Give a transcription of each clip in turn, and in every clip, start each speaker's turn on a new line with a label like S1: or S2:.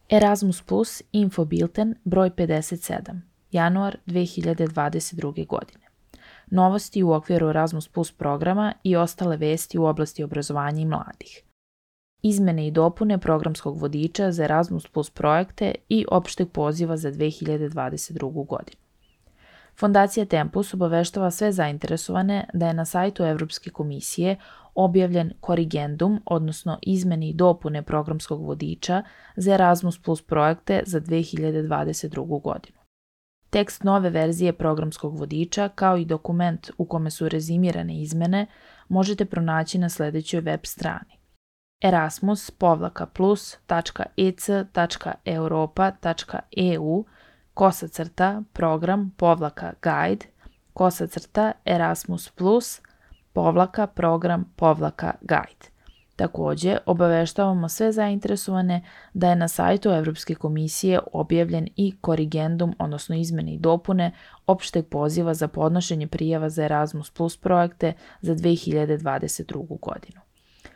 S1: Erasmus Plus Info Bilten broj 57, januar 2022. godine. Novosti u okviru Erasmus Plus programa i ostale vesti u oblasti obrazovanja i mladih. Izmene i dopune programskog vodiča za Erasmus Plus projekte i opšteg poziva za 2022. godinu. Fondacija Tempus obaveštava sve zainteresovane da je na sajtu Evropske komisije objavljen korigendum, odnosno izmene i dopune programskog vodiča za Erasmus Plus projekte za 2022. godinu. Tekst nove verzije programskog vodiča, kao i dokument u kome su rezimirane izmene, možete pronaći na sledećoj web strani: erasmus.ec.europa.eu/program-guide. Takođe, obaveštavamo sve zainteresovane da je na sajtu Evropske komisije objavljen i korigendum, odnosno izmene i dopune opšteg poziva za podnošenje prijava za Erasmus Plus projekte za 2022. godinu.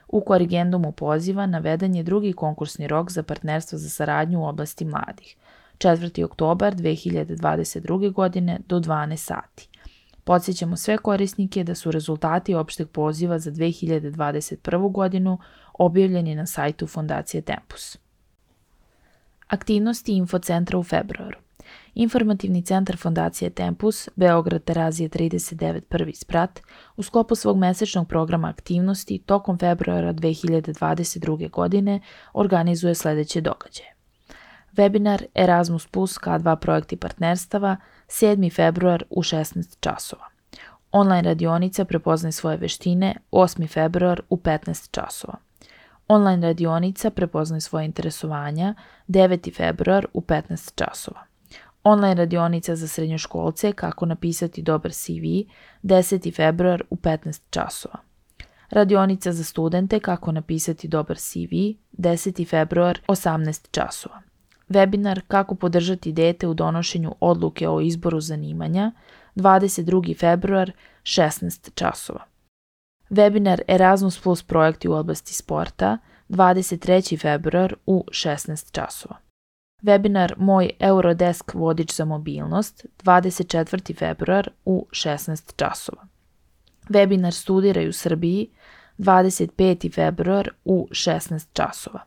S1: U korigendumu poziva naveden je drugi konkursni rok za partnerstvo za saradnju u oblasti mladih, 4. oktobar 2022. godine do 12 sati. Podsjećamo sve korisnike da su rezultati opšteg poziva za 2021. godinu objavljeni na sajtu Fondacije Tempus. Aktivnosti Infocentra u februaru. Informativni centar Fondacije Tempus, Beograd Terazije 39 prvi sprat, u sklopu svog mesečnog programa aktivnosti tokom februara 2022. godine organizuje sledeće događaje. Webinar Erasmus Plus K2 projekti partnerstava 7. februar u 16 časova. Online radionica Prepoznaj svoje veštine 8. februar u 15 časova. Online radionica Prepoznaj svoje interesovanja 9. februar u 15 časova. Online radionica za srednjoškolce Kako napisati dobar CV 10. februar u 15 časova. Radionica za studente Kako napisati dobar CV 10. februar 18 časova. Webinar Kako podržati dete u donošenju odluke o izboru zanimanja 22. februar 16 časova. Webinar Erasmus Plus projekti u oblasti sporta 23. februar u 16 časova. Webinar Moj Eurodesk vodič za mobilnost 24. februar u 16 časova. Webinar Studiraj u Srbiji 25. februar u 16 časova.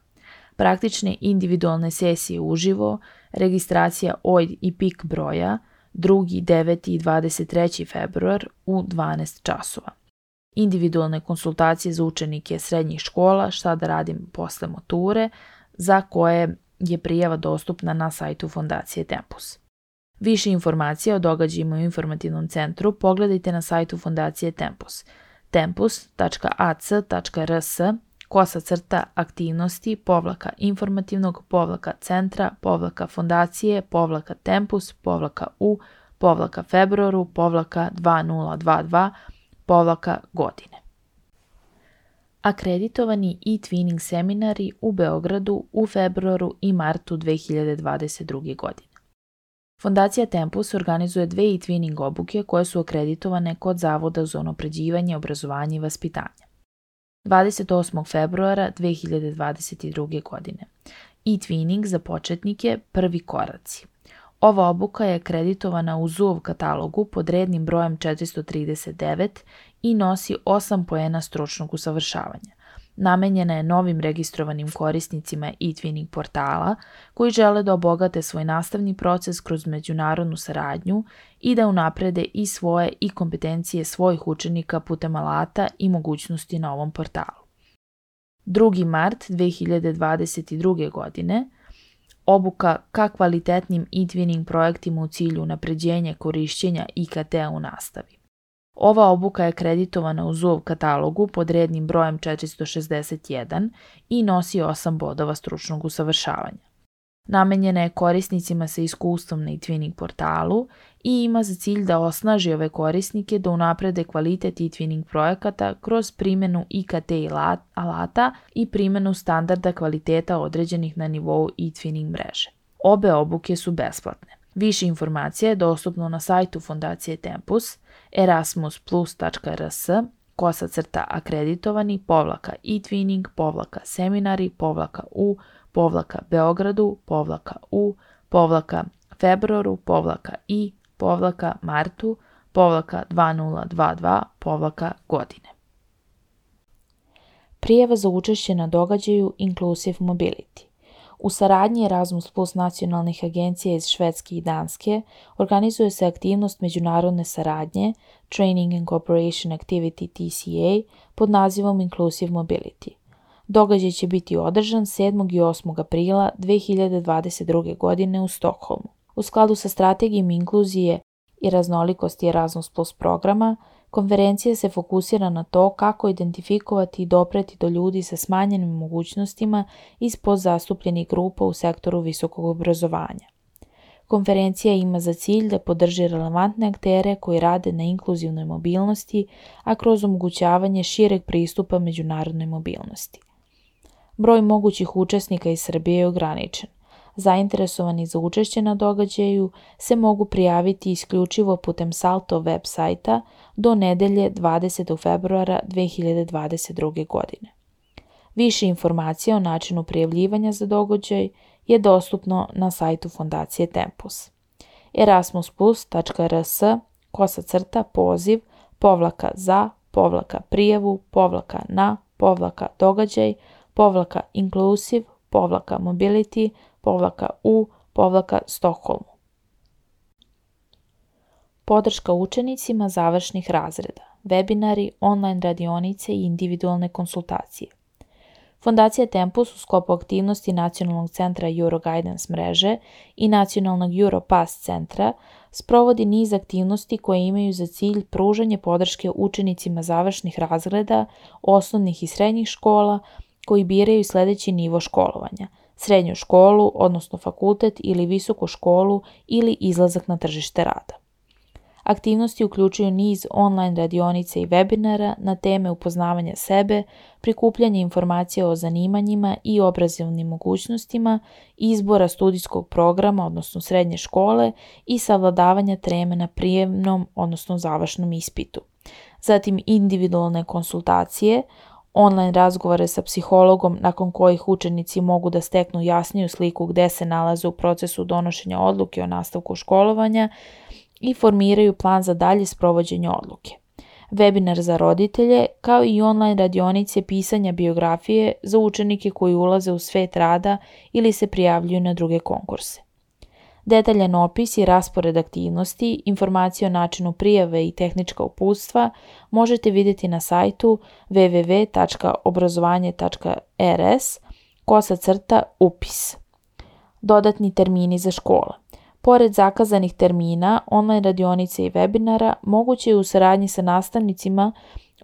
S1: Praktične individualne sesije uživo, registracija OID i PIK broja 2., 9. i 23. februar u 12 časova. Individualne konsultacije za učenike srednjih škola Šta da radim posle mature, za koje je prijava dostupna na sajtu Fondacije Tempus. Više informacija o događajima u informativnom centru pogledajte na sajtu Fondacije Tempus tempus.ac.aktivnosti-informativnog-centra-u-februaru-2022-godine. Akreditovani e-twinning seminari u Beogradu u februaru i martu 2022. godine. Fondacija Tempus organizuje 2 e-twinning obuke koje su akreditovane kod Zavoda za unapređivanje obrazovanja i vaspitanja. 28. februara 2022. godine. E-twinning za početnike prvi koraci. Ova obuka je akreditovana u ZUOV katalogu pod rednim brojem 439 i nosi 8 poena stručnog usavršavanja. Namenjena je novim registrovanim korisnicima e-twinning portala koji žele da obogate svoj nastavni proces kroz međunarodnu saradnju i da unaprede i svoje i kompetencije svojih učenika putem alata i mogućnosti na ovom portalu. 2. mart 2022. godine. Obuka ka kvalitetnim e-twinning projektima u cilju unapređenja korišćenja IKT-a u nastavi. Ova obuka je akreditovana u ZUOV katalogu pod rednim brojem 461 i nosi 8 bodova stručnog usavršavanja. Namenjena je korisnicima sa iskustvom na e-twinning portalu i ima za cilj da osnaži ove korisnike da unaprede kvalitet e-twinning projekata kroz primjenu IKT alata i primjenu standarda kvaliteta određenih na nivou e-twinning mreže. Obe obuke su besplatne. Više informacija je dostupno na sajtu Fondacije Tempus erasmusplus.rs/akreditovani-e-twinning-seminari-u Beogradu, u, februaru, i, martu, 2022, godine. Prijava za učešće na događaju Inclusive Mobility. U saradnji Erasmus Plus nacionalnih agencija iz Švedske i Danske organizuje se aktivnost međunarodne saradnje Training and Cooperation Activity TCA pod nazivom Inclusive Mobility. Događaj će biti održan 7. i 8. aprila 2022. godine u Stokholmu. U skladu sa strategijom inkluzije i raznolikosti Erasmus Plus programa, konferencija se fokusira na to kako identifikovati i dopreti do ljudi sa smanjenim mogućnostima iz podzastupljenih grupa u sektoru visokog obrazovanja. Konferencija ima za cilj da podrži relevantne aktere koji rade na inkluzivnoj mobilnosti, a kroz omogućavanje šireg pristupa međunarodnoj mobilnosti. Broj mogućih učesnika iz Srbije je ograničen. Zainteresovani za učešće na događaju se mogu prijaviti isključivo putem Salto web sajta do nedelje 20. februara 2022. godine. Više informacija o načinu prijavljivanja za događaj je dostupno na sajtu Fondacije Tempus. erasmusplus.rs/poziv /za/prijavu /na /događaj /inclusive /mobility u Stockholmu. Podrška učenicima završnih razreda, webinari, online radionice i individualne konsultacije. Fondacija Tempus u sklopu aktivnosti Nacionalnog centra Euroguidance mreže i Nacionalnog Europass centra sprovodi niz aktivnosti koje imaju za cilj pružanje podrške učenicima završnih razreda, osnovnih i srednjih škola koji biraju sljedeći nivo školovanja: srednju školu, odnosno fakultet ili visoku školu ili izlazak na tržište rada. Aktivnosti uključuju niz online radionica i webinara na teme upoznavanja sebe, prikupljanje informacija o zanimanjima i obrazovnim mogućnostima, izbora studijskog programa, odnosno srednje škole i savladavanja teme na prijemnom, odnosno završnom ispitu. Zatim individualne konsultacije, online razgovore sa psihologom nakon kojih učenici mogu da steknu jasniju sliku gde se nalaze u procesu donošenja odluke o nastavku školovanja i formiraju plan za dalje sprovođenje odluke. Webinar za roditelje, kao i online radionice pisanja biografije za učenike koji ulaze u svet rada ili se prijavljuju na druge konkurse. Detaljan opis i raspored aktivnosti, informacije o načinu prijave i tehnička uputstva možete vidjeti na sajtu www.obrazovanje.rs/upis. Dodatni termini za škole. Pored zakazanih termina, online radionice i webinara, moguće je u saradnji sa nastavnicima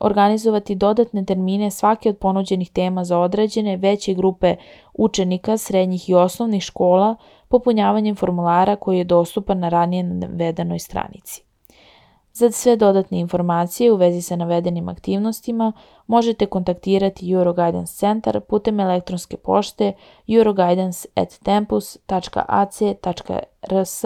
S1: organizovati dodatne termine svake od ponuđenih tema za određene veće grupe učenika srednjih i osnovnih škola popunjavanjem formulara koji je dostupan na ranije navedenoj stranici. Za sve dodatne informacije u vezi sa navedenim aktivnostima možete kontaktirati Euroguidance centar putem elektronske pošte euroguidance@tempus.ac.rs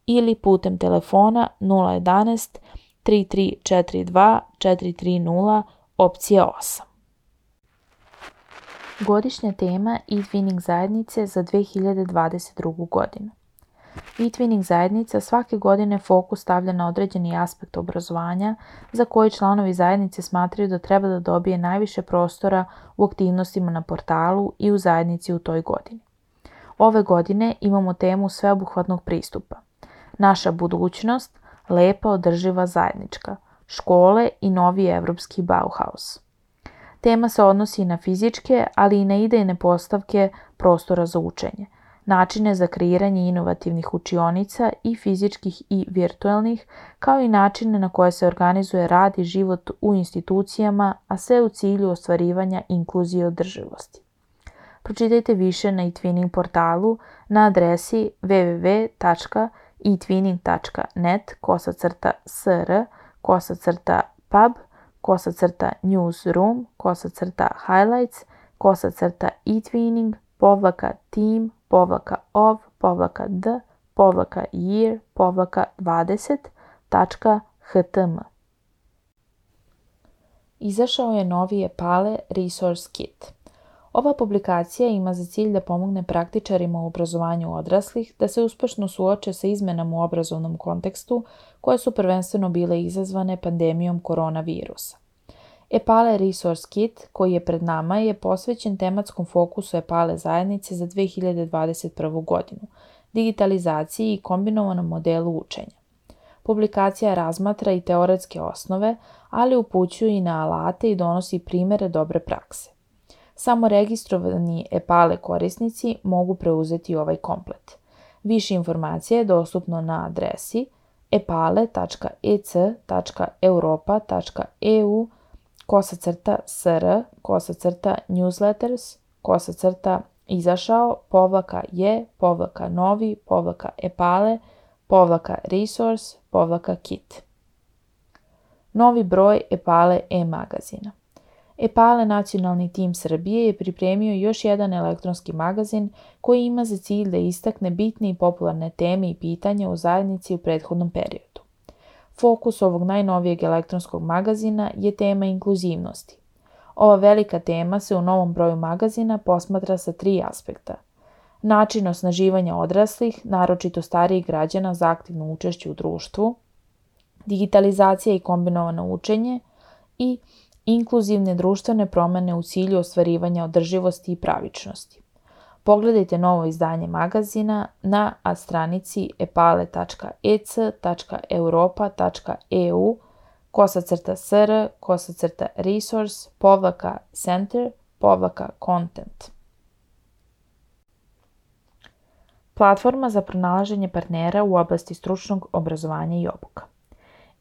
S1: ili putem telefona 011 3342 430 opcija 8. Godišnja tema e-twinning zajednice za 2022. godinu. E-twinning zajednica svake godine fokus stavlja na određeni aspekt obrazovanja za koji članovi zajednice smatraju da treba da dobije najviše prostora u aktivnostima na portalu i u zajednici u toj godini. Ove godine imamo temu sveobuhvatnog pristupa. Naša budućnost, lepa, održiva, zajednička, škole i novi evropski Bauhaus. Tema se odnosi na fizičke, ali i na idejne postavke prostora za učenje, načine za kreiranje inovativnih učionica i fizičkih i virtualnih, kao i načine na koje se organizuje rad i život u institucijama, a sve u cilju ostvarivanja inkluzije i održivosti. Pročitajte više na eTwinning portalu na adresi www.etwinning.net/pub/team/year/20.htm. Izašao je novi Epale Resource Kit. Ova publikacija ima za cilj da pomogne praktičarima u obrazovanju odraslih da se uspešno suoče sa izmenama u obrazovnom kontekstu koje su prvenstveno bile izazvane pandemijom koronavirusa. EPALE Resource Kit koji je pred nama je posvećen tematskom fokusu EPALE zajednice za 2021. godinu, digitalizaciji i kombinovanom modelu učenja. Publikacija razmatra i teoretske osnove, ali upućuje i na alate i donosi primere dobre prakse. Samo registrovani EPALE korisnici mogu preuzeti ovaj komplet. Više informacija je dostupno na adresi epale.ec/izašao/newsletters/izašao/epale-resource-kit. Novi broj EPALE e-magazina. EPALE nacionalni tim Srbije je pripremio još jedan elektronski magazin koji ima za cilj da istakne bitne i popularne teme i pitanja u zajednici u prethodnom periodu. Fokus ovog najnovijeg elektronskog magazina je tema inkluzivnosti. Ova velika tema se u novom broju magazina posmatra sa 3 aspekta. Način osnaživanja odraslih, naročito starijih građana za aktivno učešće u društvu, digitalizacija i kombinovano učenje i inkluzivne društvene promene u cilju ostvarivanja održivosti i pravičnosti. Pogledajte novo izdanje magazina na stranici epale.ec/europa.eu/resource-center/content. Platforma za pronalaženje partnera u oblasti stručnog obrazovanja i obuka.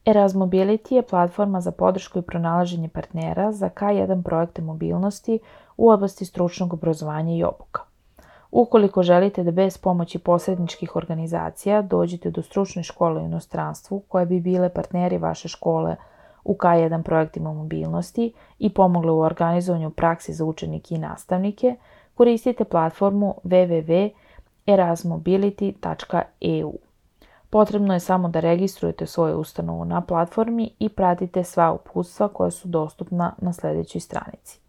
S1: Erasmobility je platforma za podršku i pronalaženje partnera za K1 projekte mobilnosti u oblasti stručnog obrazovanja i obuka. Ukoliko želite da bez pomoći posredničkih organizacija dođete do stručne škole u inostranstvu koje bi bile partneri vaše škole u K1 projektima mobilnosti i pomogle u organizovanju praksi za učenike i nastavnike, koristite platformu www.erasmobility.eu. Potrebno je samo da registrujete svoju ustanovu na platformi i pratite sva uputstva koja su dostupna na sljedećoj stranici.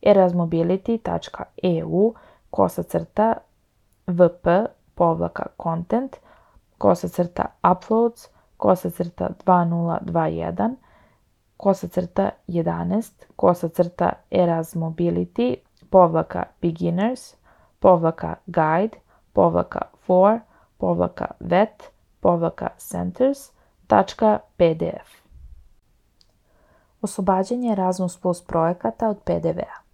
S1: erasmobility.eu/beginners/vet/centers.pdf. Oslobađanje Erasmus Plus projekata od PDV-a.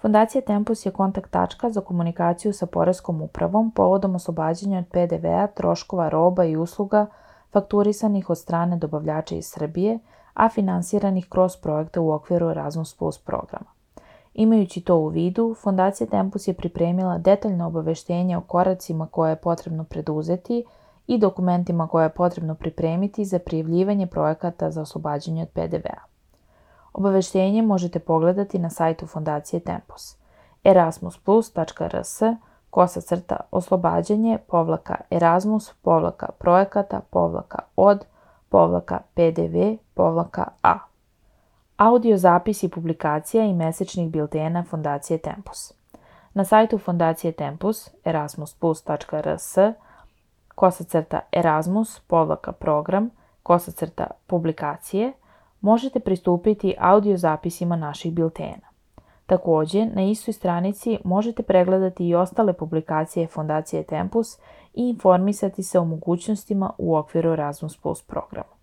S1: Fondacija Tempus je kontakt tačka za komunikaciju sa Poreskom upravom povodom oslobađanja od PDV-a troškova roba i usluga fakturisanih od strane dobavljača iz Srbije, a finansiranih kroz projekte u okviru Erasmus Plus programa. Imajući to u vidu, Fondacija Tempus je pripremila detaljno obaveštenje o koracima koje je potrebno preduzeti i dokumentima koje je potrebno pripremiti za prijavljivanje projekata za oslobađanje od PDV-a. Obaveštenje možete pogledati na sajtu Fondacije Tempus erasmus+/oslobađanje-projekata-od-PDV-a. Audio zapisi publikacija i mesečnih biltena Fondacije Tempus. Na sajtu Fondacije Tempus erasmus+/erasmus-program/publikacije možete pristupiti audio zapisima naših biltena. Također, na istoj stranici možete pregledati i ostale publikacije Fondacije Tempus i informisati se o mogućnostima u okviru Erasmus Plus programa.